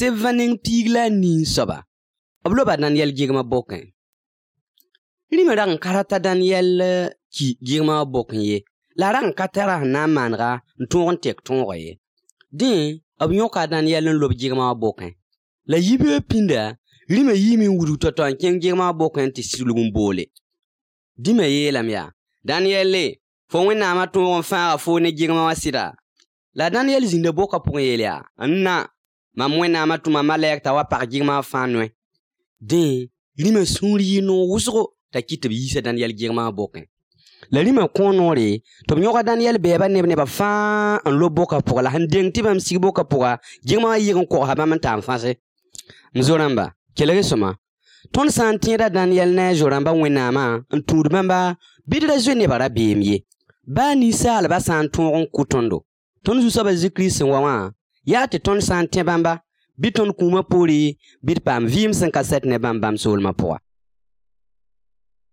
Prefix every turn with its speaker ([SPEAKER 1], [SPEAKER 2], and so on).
[SPEAKER 1] Sevaning pigla nin soba. Obloba Daniel Gigma Boken. Limerang karata Daniel ki Gigma Boken ye. La rang katara na manra nton tek ton roye. Din, obnyoka Daniel lob Gigma Boken. La yibe pinda, lime yimi wudu toton ken Gigma Boken ti silugum bole. Dime ye lamya. Daniel le, fo wena ma ton fa fo ne Gigma wasira. La Daniel zinde boka pour yelia. Anna, ma mwena ma tuma malek tawa par Gigma fanwe. Din, lime sunri no wusro ta kite bi yisa Daniel Gigma Boken. La lime konore, to nyoka Daniel beba neba fa an lo boka pour la handeng tibam sig boka pour Gigma yigon ko haba man tam fase. Mzoramba, kelere soma. Ton santira Daniel na joramba wena ma, an tudmamba, bidra zwe bara bemye. Ba ni sal ba santon kutondo. Ton zusaba zikris wawa, ya te ton santin bamba, biton kuma puri, bit pam vim 57 ne bambam sol ma poa.